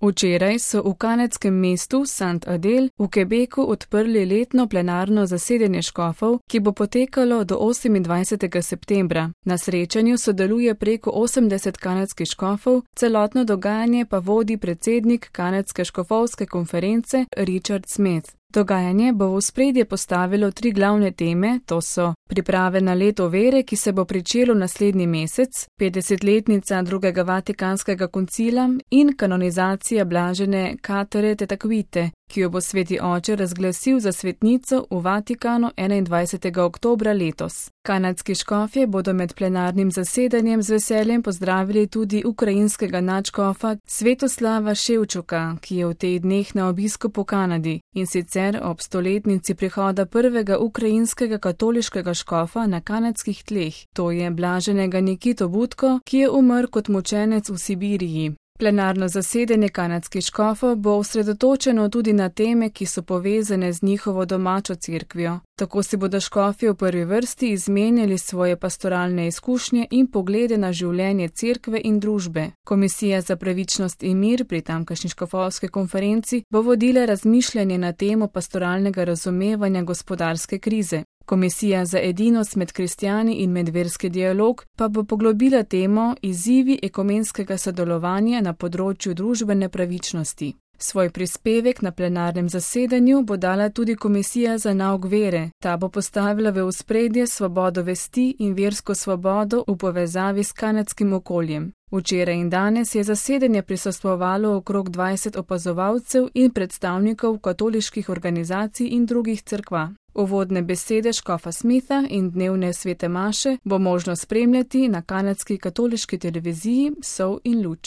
Včeraj so v kanadskem mestu St. Adel v Quebecu odprli letno plenarno zasedanje škofov, ki bo potekalo do 28. septembra. Na srečanju sodeluje preko 80 kanadskih škofov, celotno dogajanje pa vodi predsednik kanadske škofovske konference Richard Smith. Dogajanje bo v ospredje postavilo 3 glavne teme, to so priprave na leto vere, ki se bo pričelo naslednji mesec, 50-letnica drugega Vatikanskega koncila in kanonizacija blažene Katere Tetaquite, ki jo bo sveti oče razglasil za svetnico v Vatikanu 21. oktobra letos. Kanadski škofje bodo med plenarnim zasedanjem z veseljem pozdravili tudi ukrajinskega nadškofa Svetoslava Ševčuka, ki je v teh dneh na obisku po Kanadi, in sicer ob stoletnici prihoda prvega ukrajinskega katoliškega škofa na kanadskih tleh, to je blaženega Nikito Butko, ki je umrl kot mučenec v Sibiriji. Plenarno zasedanje kanadskih škofov bo osredotočeno tudi na teme, ki so povezane z njihovo domačo cerkvijo. Tako si bodo škofje v prvi vrsti izmenjali svoje pastoralne izkušnje in poglede na življenje cerkve in družbe. Komisija za pravičnost in mir pri tamkajšnji škofovski konferenci bo vodila razmišljanje na temo pastoralnega razumevanja gospodarske krize. Komisija za edinost med kristjani in medverski dialog pa bo poglobila temo izzivi ekumenskega sodelovanja na področju družbene pravičnosti. Svoj prispevek na plenarnem zasedanju bo dala tudi Komisija za nauk vere. Ta bo postavila v ospredje svobodo vesti in versko svobodo v povezavi s kanadskim okoljem. Včeraj in danes je zasedanje prisostvovalo okrog 20 opazovalcev in predstavnikov katoliških organizacij in drugih cerkva. Uvodne besede škofa Smitha in dnevne svete maše bo možno spremljati na kanadski katoliški televiziji Sol in luč.